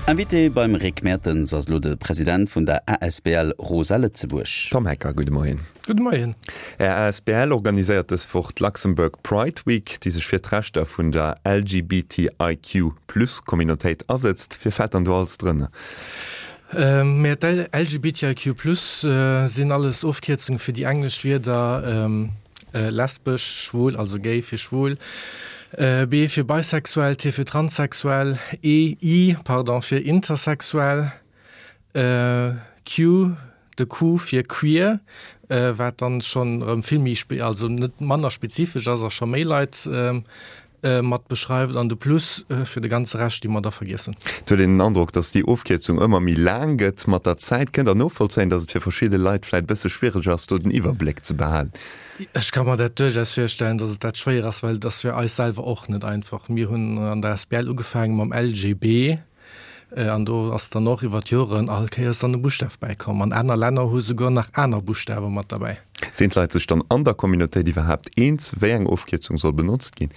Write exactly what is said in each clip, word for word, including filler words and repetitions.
Invité beim Rick Mertens ass elo de President vun der asbl Rosa Lëtzebuerg. Tom Hecker, gudde Moien. Gudde Moien. Är asbl organiséiert dës Woch d'Luxembourg Pride Week, déi sech fir d'Rechter vun der LGBTIQ plus Communautéit asetzt. Wie fält dann do alles drënner? Mä d'LGBTIQ plus sinn alles Ofkierzunge fir déi englesch Wierder lesbesch, schwul, also gay fir schwul, B fir bisexuell, T fir transsexuell, E, I, pardon, fir intersexuell, Q, de Q fir queer, wat dann schonn erëm vill méi, also net manner spezifesch ass a scho méi Leit mat beschreift, an de Plus fir de ganze Rescht, dee mer da vergiess hunn. Et huet een den Androck, datt déi Ofkierzung ëmmer méi laang gëtt mat der Zäit. Kënnt Der novollzéien, datt et fir verschidde Leit vläit e bësse schwiereg ass, do den Iwwerbléck ze behalen? Ech ka mer dat duerchaus virstellen, datt et dat schwéier ass, well et ass fir eis selwer och net einfach. Mir hunn an der asbl ugefaange mam LGB an do ass dann och iwwer d'Joren all Kéiers dann e Buschtaf bäikomm. An aner Länner hu souguer nach aner Buschtawe mat derbäi. Sinn d'Leit sech dann an der Communautéit iwwerhaapt eens, wéi eng Ofkierzung soll benotzt ginn?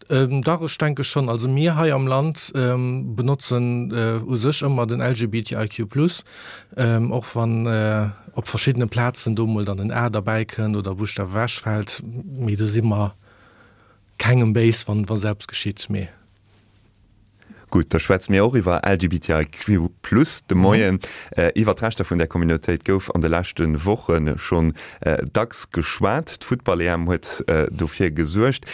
Dach, ech denke schonn. Also mir hei am Land benotzen u sech ëmmer den LGBTIQ plus, och wann op verschiddene Plazen do mol dann en A derbäi kënnt oder e Buschtaf ewechfält. Mee do si mer kengem béis, wann wa sou eppes geschitt. Mee. Gutt, da schwätze mir och iwwer LGBTIQ plus de Moien. Iwwer d'Rechter vun där Communautéit gouf an de leschte Woche schonn dacks geschwat. D'Futtball-EM huet dofir gesuergt.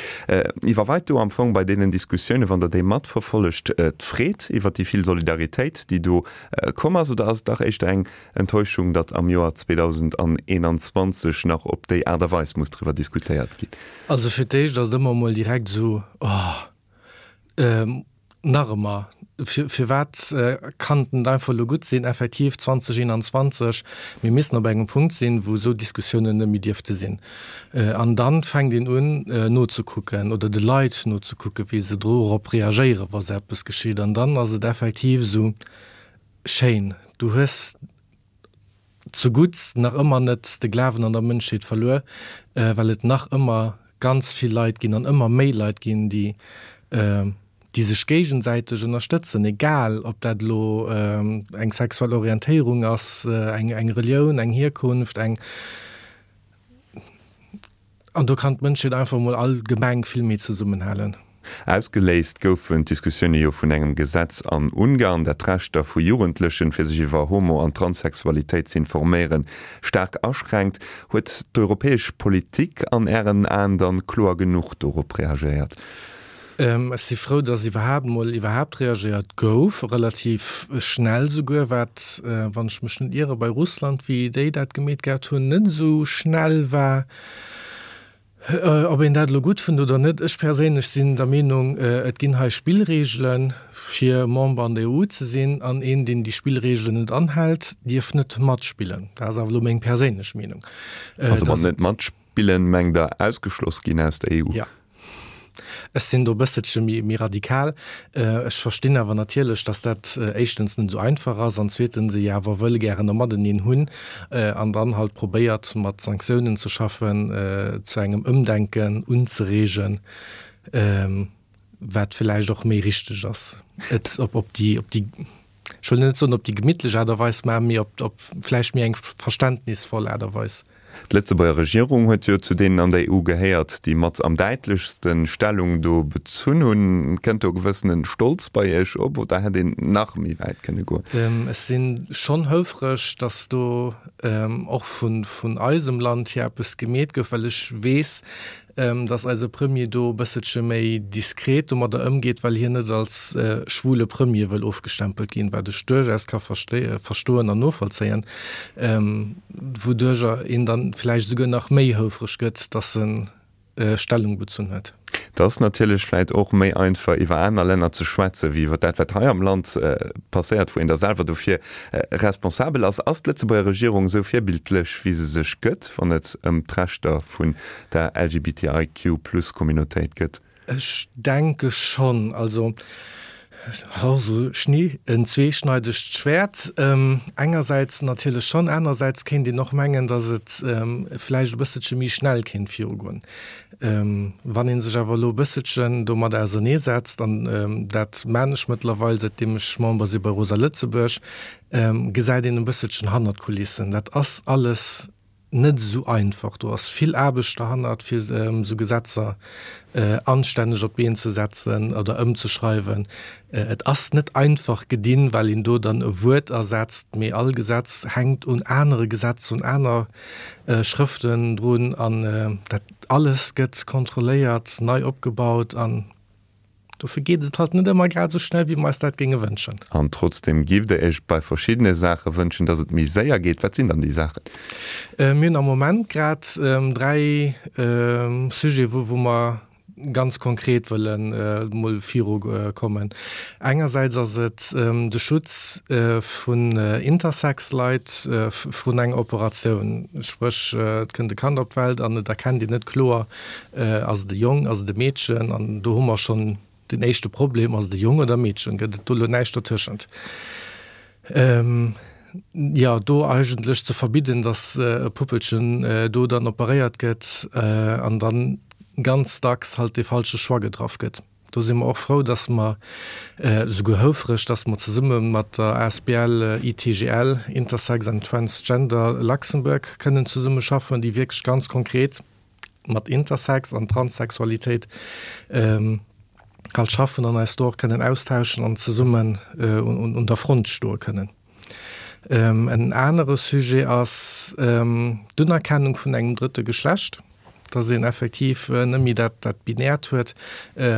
Iwwerweit do am Fong bei deenen Diskussiounen, wann Der déi matverfollegt, d'Freed iwwer déi vill Solidaritéit, déi do komm ass, oder ass et dach éischter eng Enttäuschung, datt am Joer zweedausendeenanzwanzeg nach op déi Aart a Weis muss driwwer diskutéiert ginn? Also fir d'éischt ass et ëmmer emol direkt esou, Oh, Nach ëmmer, firwat kann et net einfach elo gutt sinn, effektiv zweedausendeenanzwanzeg, mir missten op engem Punkt sinn, wou esou Diskussiounen net méi dierfte sinn. An da fänkt een un nozekucken oder de Leit nozekucken, wéi se dorop reagéieren, wa sou eppes geschitt. An dann ass et effektiv esou schéin, du hues zugutts nach ëmmer net de Glawen an der Mënschheet verluer, well et nach ëmmer ganz vill Leit ginn an ëmmer méi Leit ginn, déi déi sech géigesäiteg ënnerstëtzen, egal ob dat elo eng sexuell Orientéierung ass, eng eng Relioun, eng Hierkunft, eng. An do kann d'Mënschheet einfach emol allgemeng vill méi zesummenhalen. Ausgeléist goufen d'Diskussioune jo vun engem Gesetz an Ungarn, dat d'Rechter vu Jugendlechen, fir sech iwwer Homo an Transsexualitéit z'informéieren, staark aschränkt. Huet d'europäesch Politik an Ären Aen dann kloer genuch dorop reagéiert? Ech si frou, dass iwwerhaapt emol iwwerhaapt reagéiert gouf, relativ schnell souguer, wat, wann ech mech net iere, bei Russland, wéi déi dat gemeet gehat hunn, net esou schnell war. Ob een dat elo gutt fënnt oder net, ech perséinlech sinn der Meenung, et ginn hei Spillreegele fir Member an der E U ze sinn, an een, deen déi Spillreegelen net anhält, dierf net matspillen. Dat ass awer elo meng perséinlech Meenung. Also mat net matspillen mengt Der ausgeschloss ginn aus der E U? Jo. Ech sinn do e bësselche méi radikal. Ech verstinn awer natierlech, datt dat éischtens net esou einfach ass an zweetens ee jo awer wëll gären e Mateneen hunn an dann halt probéiert, mat Sanktiounen ze schaffen, zu engem Ëmdenken unzereegen, wat villäicht och méi richteg ass, et op déi, op déi, ech wëll net soen op déi gemittlech Aart a Weis, mä méi op, op vläicht méi eng verständnisvoll Aart a Weis. D'Lëtzebuerger Regierung huet jo zu deenen an der E U gehéiert, déi mat am däitlechste Stellung do bezunn hunn. Kënnt do e gewëssene Stolz bei Iech op oder hätt een nach méi wäit kënne goen? Ech si schonn houfreg, datt do och vun eisem Land hier eppes gemeet gouf, well ech weess, dass eise Premier do e bësselche méi diskret domadder ëmgeet, well hien net als schwule Premier wëll ofgestempelt ginn, wat ech duerchaus ka verstoen an novollzéien, wouduercher een dann vläicht esouguer nach méi houfreg gëtt, dass e Stellung bezunn huet. Et ass natierlech vläicht och méi einfach, iwwer aner Länner ze schwätzen, wéi iwwer dat, wat hei am Land passéiert, wou een da selwer dofir responsabel ass. Ass d'Lëtzebuerger Regierung esou virbildlech, wéi se sech gëtt, wann et ëm d'Rechter vun der LGBTIQ-Plus-Communautéit gëtt? Ech denke schonn. Also Also Schnee en zweeschneidegt Schwert. Engersäits natierlech schonn, anersäits kéint een och mengen, datt et vläicht e bësselche méi schnell kéint virugoen. Wann ee sech awer elo e bësselchen domat auserneesetzt, an dat maan ech mëttlerweil säitdeem ech Member si bei Rosa Lëtzebuerg, gesäit een e bësselchen hannert d'Kulissen. Dat ass alles net esou einfach. Do ass vill Aarbecht derhannert, fir esou Gesetzer anstänneg op d'Been ze setzen oder ëmzeschreiwen. Et ass net einfach gedinn, well een do dann e Wuert ersetzt, mee all Gesetz hänkt un anere Gesetzer, un aner Schrëften drun an dat alles gëtt kontrolléiert, nei opgebaut an Dofir geet et halt net ëmmer grad esou schnell, wéi mer eis dat géinge wënschen. An trotzdem giff Der Iech bei verschiddene Saache wënschen, dass et méi séier geet. Wat sinn dann déi Saachen? Mir hunn am Moment grad dräi Sujete, wou mer ganz konkret wëlle mol virukommen. Engersäits ass et de Schutz vun Intersex-Leit vrun enger Operatioun. Spréch, et kënnt e Kand op d'Welt an et erkennt een net kloer, Ass et e Jong, ass et e Meedchen? An do hu mer schonn den éischte Problem, Ass et e Jong oder e Meedchen? Gëtt et do elo näischt dertëschent? Jo, do eigentlech ze verbidden, datt e Puppelchen do dann operéiert gëtt an dann ganz dacks halt dee falsche Choix getraff gëtt. Do si mer och frou, datt mer, esouguer houfreg, datt mer zesumme mat der asbl I T G L, Intersex and Transgender Luxembourg, kënnen zesummeschaffen, déi wierklech ganz konkret mat Intersex an Transsexualitéit halt schaffen an eis do och kënnen austauschen an zesummen un der Front stoe kënnen. En anere Sujet ass d'Unerkennung vun engem drëtte Geschlecht, dass een effektiv net méi dat dat Binäert huet,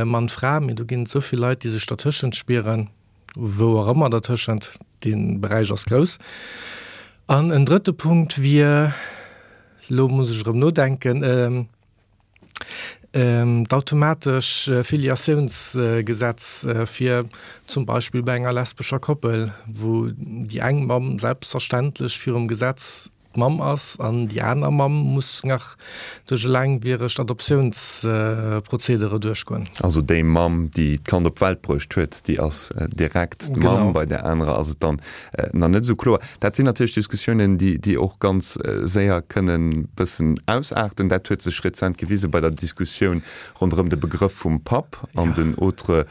Mann, Fra, mee do ginn et esou vill Leit, déi sech dertëschent spieren, wou och ëmmer dertëschent, dee Beräich ass grouss. An en drëtte Punkt wier, elo muss ech erëm nodenken, d'automatesch Filiatiounsgesetz fir zum Beispill bei enger lesbescher Koppel, wou déi eng Mamm selbstverständlech virum Gesetz d'Mamm ass an déi aner Mamm muss nach duerch e laangwieregt Adoptiounsprozedere duerchgoen. Also déi Mamm, déi d'Kand op d'Welt bruecht huet, déi ass direkt d'Mamm, bei där anerer ass et dann nach net esou kloer. Dat sinn natierlech Diskussiounen, déi och ganz séier kënnen bëssen ausaarten. Dat huet sech rezent gewise bei der Diskussioun ronderëm de Begrëff vum Papp an den autre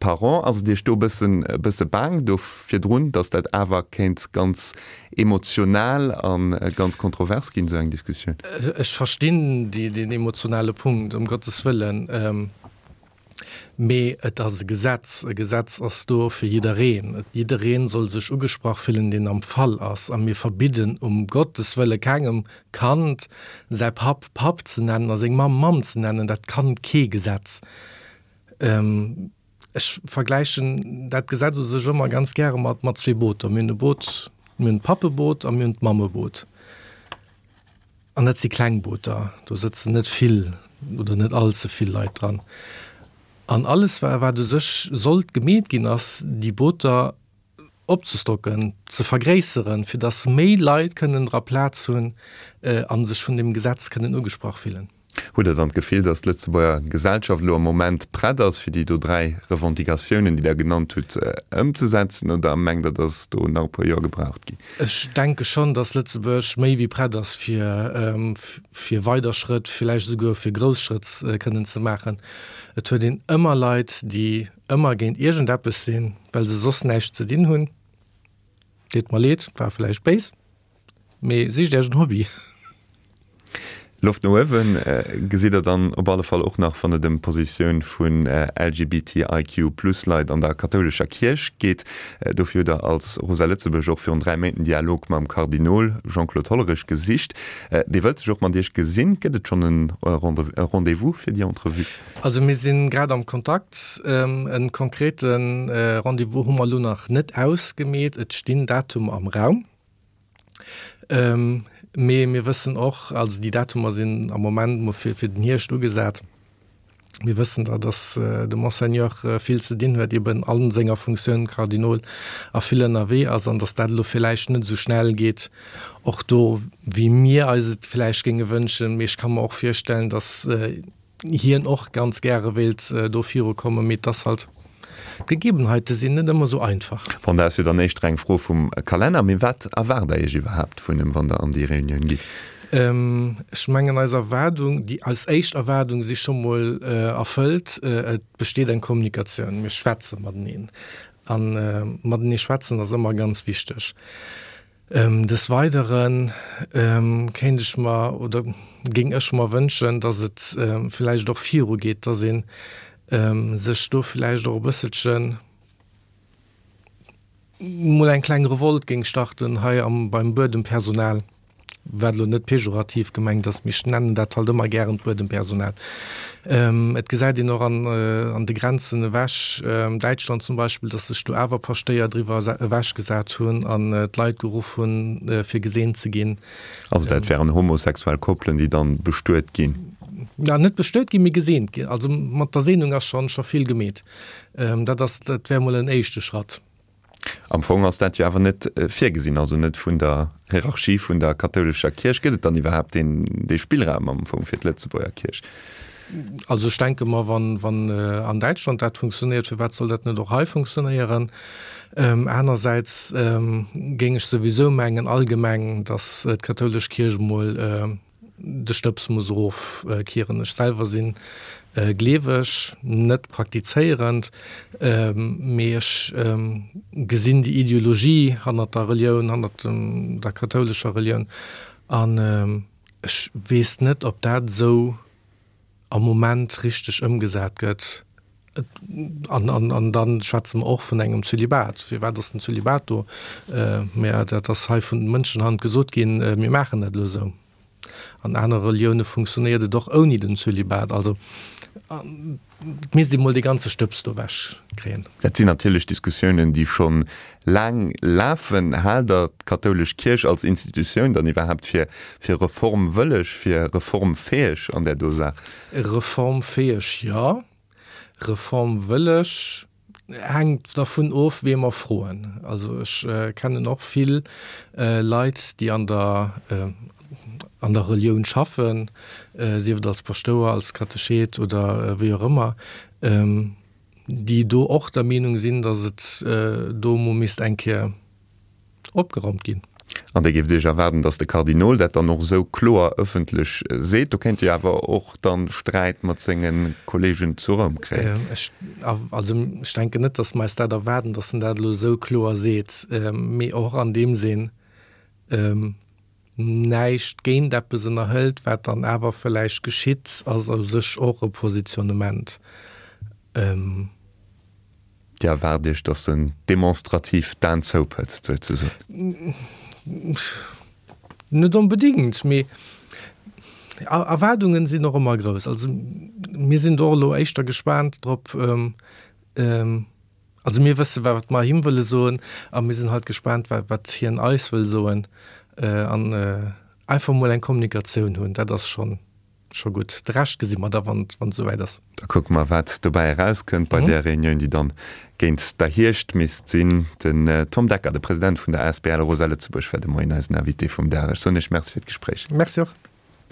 parent. Ass et Iech do e bëssen, e bësse baang do virdrun, datt dat awer kéint ganz emotional a ganz kontrovers ginn, esou eng Diskussioun? Ech verstinn deen emotionale Punkt, ëm Gottes Wëllen. Mee et ass e Gesetz. E Gesetz ass do fir jiddereen. Jidderee soll sech ugesprach fillen, deen am Fall ass. A mir verbidden um Gottes Wëlle kengem Kand, säi Papp Papp ze nennen a seng Mamm Mamm ze nennen. Dat kann kee Gesetz. Ech vergläichen dat Gesetz u sech ëmmer ganz gäre mat mat zwee Booter. Mir hunn e Boot, mir hunn d'Pappeboot a mir hunn d'Mammeboot. An dat si kleng Booter, do sëtzen net vill oder net all ze vill Leit dran. An alles wa wat u sech sollt gemeet ginn, ass déi Booter opzestocken, ze vergréisseren, fir datt méi Leit kënnen dra Plaz hunn a sech vun deem Gesetz kënnen ugesprach fillen. Hutt Der dann d'Gefill, datt d'Lëtzebuerger Gesellschaft elo am Moment prett ass, fir déi do dräi Revendicatiounen, déi Der genannt hutt, ëmzesetzen, oder mengt Der, datt do nach e puer Joer gebraucht ginn? Ech denke schonn, datt Lëtzebuerg méi wéi prett ass, fir fir weider Schrëtt, villäicht esouguer fir grouss Schrëtt kënnen ze maachen. Et huet een ëmmer Leit, déi ëmmer géint iergendeppes sinn, well se soss näischt ze dinn hunn. Deet mer leed, war villäicht béis, mee sicht Iech en Hobby. Loft no uewen gesitt Der dann op alle Fall och nach, wann et ëm d'Positioun vun L G B T I Q plus Leit an der kathoulescher Kierch geet. Dofir hutt Der als Rosa Lëtzebuerg och virun dräi Méint en Dialog mam Kardinol Jean-Claude Hollerich gesicht. Dee wëllt sech och mat Iech gesinn. Gëtt et schonn e Rendez-vous fir déi Entrevue? Also mir si grad am Kontakt. E konkrete Rendez-vous hu mer elo nach net ausgemeet. Et stinn Datumer am Raum. Mee mir wëssen och, also déi Datumer sinn am Moment mol fir fir den Hierscht ugesat, mir wëssen da, datt de Monseigneur vill ze dinn huet, eben a senger Funktioun Kardinol a vill ënnerwee ass an datt dat elo villäicht net esou schnell geet och do, wéi mir eis et villäicht géinge wënschen. Mee ech ka mer och virstellen, datt hien och ganz gäre wéilt do virukommen, mee et ass halt D'Gegebenheite sinn net ëmmer esou einfach. Bon, dat ass jo dann éischter eng Fro vum Kalenner. Mee wat erwaart Der Iech iwwerhaapt vun him, wann Der an déi Reunioun gitt? Ech mengen, eis Erwaardung, déi eis éischt Erwaardung si scho mol erfëllt, Et besteet eng Kommunikatioun, mir schwätze mateneen. A matenee schwätzen ass ëmmer ganz wichteg. Des Weidere kéint ech mer oder géing ech mer wënschen, datt et vläicht och virugeet, datt ee sech do vläicht och e bësselchen mol eng kleng Revolt géing starten hei am beim Buedempersonal. Wat elo net pejorativ gemengt ass, mee ech nennen dat halt ëmmer gären d'Buedempersonal. Et gesäit een och an de Grenzen ewech, Däitschland zum Beispill, datt sech do awer Paschtéier driwwer ewechgesat hunn an d'Leit geruff hunn, fir geseent ze ginn. Also dat wären homosexuell Koppelen, déi dann bestuet ginn? Na, net bestuet ginn, mee geseent ginn. Also mat der Seenung ass scho vill gemeet. Dat ass, dat wär mol en éischte Schratt. Am Fong ass dat jo awer net virgesinn, also net vun der Hierarchie vun der kathoulescher Kierch. Gëtt et dann iwwerhaapt deen, dee Spillraum am Fong fir d'Lëtzebuerger Kierch? Also ech denke mer, wann, wann an Däitschland dat funktionéiert, firwat soll dat net och hei funktionéieren? Anersäits géing ech souwisou mengen allgemeng, datt d'kathoulesch Kierch emol de Stëbs muss erof kieren. Ech selwer sinn gleeweg, net praktizéierend, mee ech gesinn déi Ideologie hannert der Relioun, hannert der kathoulescher Relioun an ech weess net, ob dat esou am Moment richteg ëmgesat gëtt. An, an, an dann schwätze mer och vun engem Zölibat. Firwat ass den Zölibat do? Mä dat ass hei vun Mënschenhand gesot ginn, mir maachen dat elo esou. An anere Relioune funktionéiert et och ouni den Zölibat. Also et misst ee mol dee ganze Stëbs do ewech kréien. Dat sinn natierlech Diskussiounen, déi scho laang lafen. Haalt Der d'kathoulesch Kierch als Institutioun dann iwwerhaapt fir fir reformwëlleg, fir reformfäeg an där do Saach? Reformfäeg, jo. Reformwëlleg hänkt dervun of, wee mer froen. Also ech kennen och vill Leit, déi an der an der Relioun schaffen, sief et als Paschtouer, als Katechet oder wéi och ëmmer, déi do och der Meenung sinn, datt et do emol misst eng Kéier opgeraumt ginn. An Dir géift Iech erwaarden, datt de Kardinol dat dann och esou kloer ëffentlech seet. Do kéint e jo awer och dann Sträit mat senge Kollegen zu Roum kréien. Ech, also ech denken net, datt mer eis dat erwaarden, datt en dat elo esou kloer seet, mee och an deem Sinn näischt géint eppes ënnerhëlt, wat dann awer vläicht geschitt, ass u sech och e Positionnement. Dir erwaart Iech, datt en demonstrativ d'Aen zoupëtzt, souzesoen? Net onbedéngt, mee Erwaardungen sinn och ëmmer grouss. Also mir sinn do och elo éischter gespaant drop. Also mir wësse wat mer him wëlle soen a mir sinn halt gespaant, wat hien eis wëll soen. An einfach mol eng Kommunikatioun hunn, dat ass schonn scho gutt. De Rescht gesi mer da wann et esouwäit ass. Da kucke mer, wat dobäi erauskënnt bei där Reunioun, déi dann géint der Hierscht misst sinn. Den Tom Decker, de President vun der asbl Rosa Lëtzebuerg, war de Moien eisen Invité vum Dag. Ech soen Iech Merci fir d'Gespréich. Merci och.